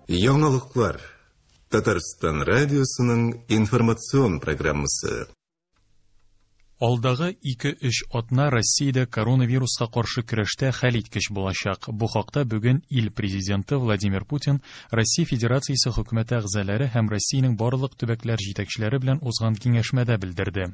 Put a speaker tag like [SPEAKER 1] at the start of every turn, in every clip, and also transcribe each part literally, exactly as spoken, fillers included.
[SPEAKER 1] Яңалыклар. Татарстан радиосының информацион программасы.
[SPEAKER 2] Алдагы ике-өч атна Россиядә коронавируска каршы көрәштә хәлиткеч булачак. Бу хакта бүген ил президенты Владимир Путин Россия Федерациясе хөкүмәте әгъзалары һәм Россиянең барлык төбәкләр җитәкчеләре белән узган киңәшмәдә белдерде.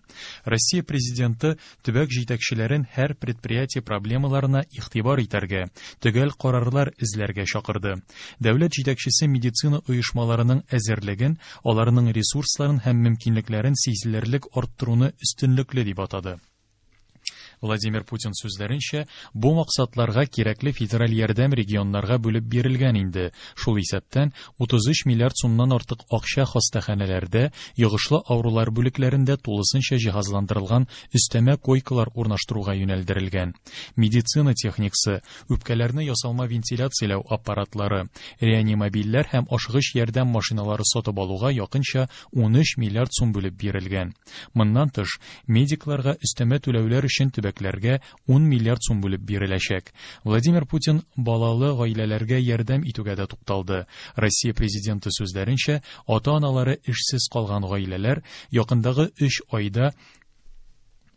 [SPEAKER 2] Россия президенты төбәк җитәкчеләрен һәр предприятие проблемаларына игътибар итәргә, төгәл карарлар эзләргә чакырды. Дәүләт җитәкчесе медицина оешмаларының әзерлеген, аларның ресурсларын һәм мөмкинлекләрен сизелерлек арттыруны өстенлекле дип атады. Владимир Путин сүзләренчә, бу максатларга кирәкле федераль ярдәм регионнарга бүлеп бирелгән инде. Шул исәптән утыз өч миллиард сумнан артык акча хастаханәләрдә, йогышлы авырулар бүлекләрендә тулысынча җиһазландырылган өстәмә койкалар урнаштыруга юнәлдерелгән. Медицина техникасы, үпкәләрне ясалма вентиляцияләү аппаратлары, реанимобильләр һәм ашыгыч ярдәм машиналары сатып алуга якынча ун өч миллиард сум бүлеп бирелгән. Моннан тыш, медикларга өстәмә түләүләр өчен төбәкләргә ун миллиард сум бүлеп биреләчәк. Владимир Путин балалы гаиләләргә ярдәм итүгә дә тукталды. Россия президенты сүзләренчә, ата-аналары эшсез калган гаиләләр якындагы өч айда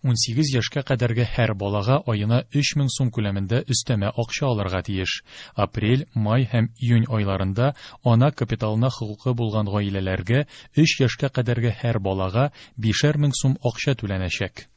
[SPEAKER 2] ун сигез яшькә кадәрге һәр балага аена өч мең сум күләмендә өстәмә акча алырга тиеш. Апрель, май һәм июнь айларында ана капиталына хокукы булган гаиләләргә өч яшькә кадәрге һәр балага бишәр мең сум акча түләнәчәк.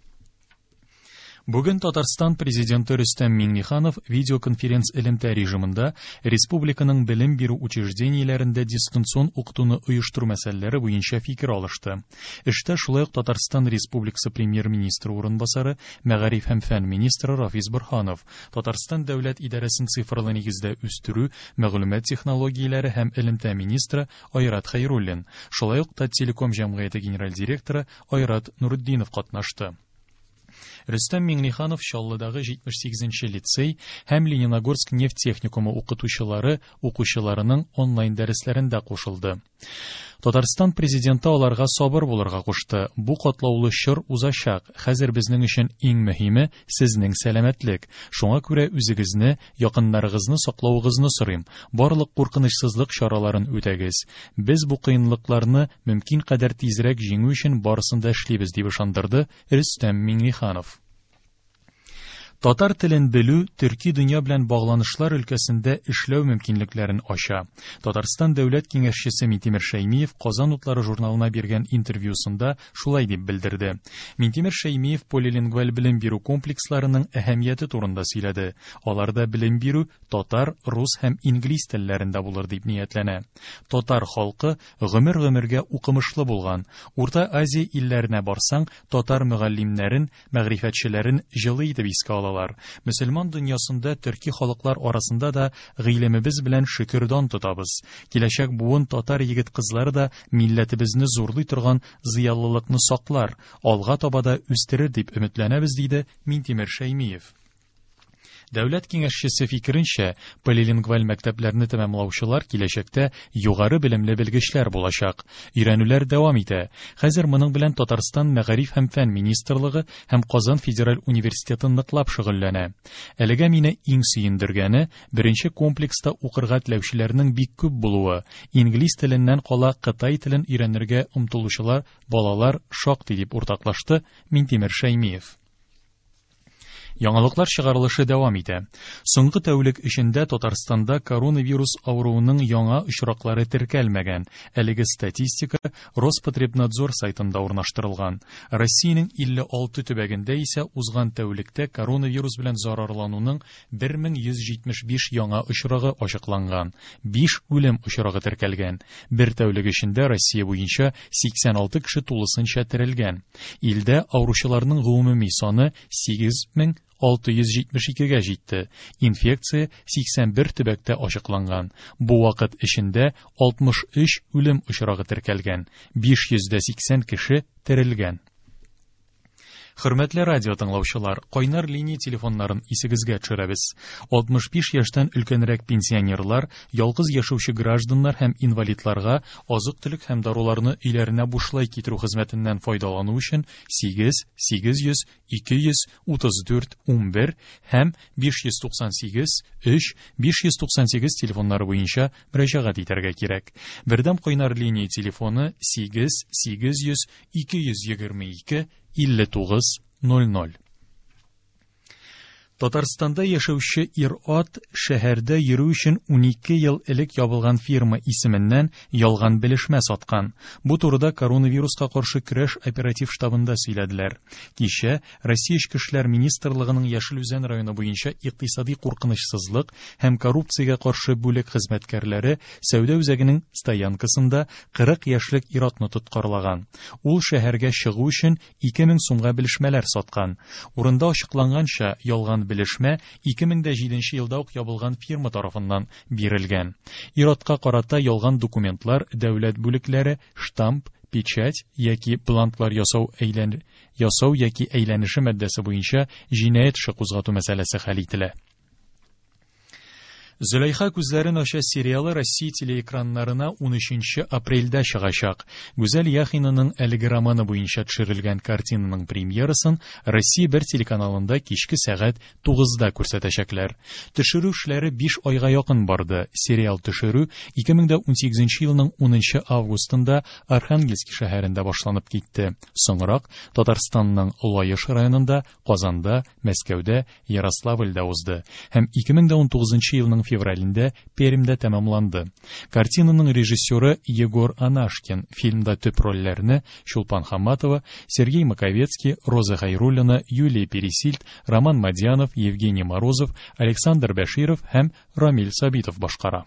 [SPEAKER 2] Бүген Татарстан президенты Рөстәм Миңнеханов видеоконференц элемтә режимында республиканың белем бирү учреждениеләрендә дистанцион укытуны оештыру мәсьәләләре буенча фикер алышты. Эштә шулай ук Татарстан Республикасы премьер-министры урынбасары, мәгариф һәм фән министры Рафис Борһанов, Татарстан дәүләт идарәсен цифрлы нигездә үстерү, мәгълүмат технологияләре һәм элемтә министры Айрат Хәйруллин, шулай ук Таттелеком җәмгыяте генераль директоры Айрат Нурутдинов катнашты. Рөстәм Миңнеханов Чаллыдагы җитмеш сигезенче лицей һәм Лениногорск нефть техникумы укытучылары укучыларының онлайн дәресләрендә кушылды. Татарстан президенты аларга сабыр булырга кушты. Бу катлаулы чор узачак. Хәзер безнең өчен иң мөһиме сезнең сәламәтлек. Шуңа күрә үзегезне, якыннарыгызны саклавыгызны сорыйм. Барлык куркынычсызлык чараларын үтәгез. Без бу кыенлыкларны мөмкин кадәр тизрәк җиңү өчен барысын да эшлибез, дип ышандырды Рөстәм Миңнеханов. Татар телен белү төрки дөнья белән багланышлар өлкәсендә эшләү мөмкинлекләрен ача. Татарстан дәүләт киңәшчесе Минтимер Шәймиев Казан утлары журналына биргән интервьюсында шулай дип белдерде. Минтимер Шәймиев полилингваль белем бирү комплексларының әһәмияте турында сөйләде. Аларда белем бирү татар, рус һәм инглиз телләрендә булыр дип ниятләнә. Татар халкы гомер-гомергә укымышлы булган. Урта Азия илләренә барсаң, татар мөгаллимнәрен, мәгърифәтчеләрен җылы итеп искә алалар. Мөселман дөньясында төрки халыклар арасында да гыйлемебез белән шөкердан тотабыз. Киләчәк буын татар егет-кызлары да милләтебезне зурлый торган зыялылыкны саклар, алга таба да үстерер дип өметләнәбез, диде Минтимер Шәймиев. Дәүләт киңәшчесе фикеренчә, полилингваль мәктәпләрне тәмамлаучылар киләчәктә югары белемле белгечләр булачак. Өйрәнүләр дәвам итә. Хәзер моның белән Татарстан Мәгариф һәм фән министрлыгы һәм Казан федераль университеты ныклап шөгыльләнә. Әлегә мине иң сөендергәне беренче комплекста укырга теләүчеләрнең бик күп булуы. Инглиз теленнән кала кытай телен өйрәнергә омтылучылар балалар шактый, дип уртаклашты Минтимер Шәймиев. Яңалыклар чыгарылышы дәвам итә. Соңгы тәүлек эчендә Татарстанда коронавирус авыруының яңа очраклары теркәлмәгән. Әлеге статистика Роспотребнадзор сайтында урнаштырылган. Россиянең илле алты төбәгендә исә узган тәүлектә коронавирус белән зарарлануның бер мең йөз җитмеш биш яңа очрагы ачыкланган. Биш үлем очрагы теркәлгән. Бер тәүлек эчендә Россия буенча сиксән алты кеше тулысынча терелгән. Илдә авыручыларның гомуми саны сигез мең алты йөз җитмеш икегә җитте. Инфекция сиксән бер төбәктә ачыкланган. Бу вакыт эчендә алтмыш өч үлем очрагы теркәлгән. Биш йөз дә сиксән кеше терелгән. Хөрмәтле радио тыңлаучылар, кайнар линия телефоннарын исегезгә төшерәбез. алтмыш биш яшьтән өлкәнрәк пенсионерлар, ялгыз яшәүче гражданнар һәм инвалидларга азык-төлек һәм даруларны өйләренә бушлай китерү хезмәтеннән файдалану өчен сигез, сигез йөз, ике йөз, утыз дүрт, унбер һәм биш йөз туксан сигез, өч, биш йөз туксан сигез телефоннары буенча мөрәҗәгать итәргә кирәк. Бердәм кайнар линия телефоны сигез, сигез йөз, ике йөз егерме ике, илле тугыз, ноль ноль. Татарстанда яшәүче ир-ат шәһәрдә йөрү өчен унике ел элек ябылган фирма исеменнән ялган белешмә саткан. Бу турыда коронавируска каршы көрәш оператив штабында сөйләделәр. Кичә Россия Эчке эшләр министрлыгының Яшел Үзән районы буенча икътисади куркынычсызлык һәм коррупциягә каршы бүлек хезмәткәрләре сәүдә үзәгенең стоянкасында кырык яшьлек ир-атны тоткарлаган. Ул шәһәргә чыгу өчен ике мең сумга белешмәләр саткан. Урында ачыкланганча, ялган белешмә ике мең дә җиденче елда ук ябылган фирма тарафыннан бирелгән. Ир-атка карата ялган документлар, дәүләт бүлекләре, штамп, печать яки бланклар ясау әйлән-, ясау яки әйләнеше маддәсе буенча җинаять эше кузгату мәсьәләсе хәл ителә. Зөләйха күзләрен ача сериалы Россия телеэкраннарына унөченче апрельдә чыгачак. Гүзәл Яхинаның әлеге романы буенча төшерелгән картинаның премьерасын Россия бер телеканалында кичке сәгать тугызда күрсәтәчәкләр. Төшерү эшләре биш айга якын барды. Сериал төшерү ике мең дә унсигезенче елның унынчы августында Архангельск шәһәрендә башланып китте. Соңрак Татарстанның Лаеш районында, Казанда, Мәскәүдә, Ярославльдә узды һәм ике мең дә унтугызынчы елның февралендә Пермьдә тәмамланды. Картинаның режиссеры Егор Анашкин. Фильмда төп рольләрне Чулпан Хаматова, Сергей Маковецкий, Роза Хайруллина, Юлия Пересильд, Роман Мадьянов, Евгений Морозов, Александр Бәширов һәм Рамиль Сабитов башкара.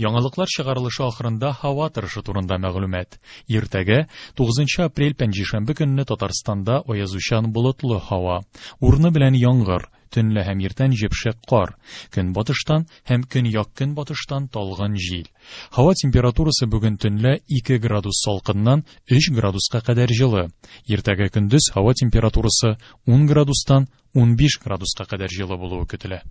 [SPEAKER 2] Яңалыклар чыгарылышы ахырында һава торышы турында мәгълүмат. Иртәгә тугызынчы апрель пәнҗешәмбе көнне Татарстанда аязучан болытлы һава. Урыны белән яңгыр, төнлә һәм иртән җепшек кар, көнбатыштан һәм көньяк-көнбатыштан талгын җил. Һава температурасы бүген төнлә ике градус салкыннан өч градуска кадәр җылы. Иртәгә көндез һава температурасы ун градустан унбиш градуска кадәр җылы булуы көтелә.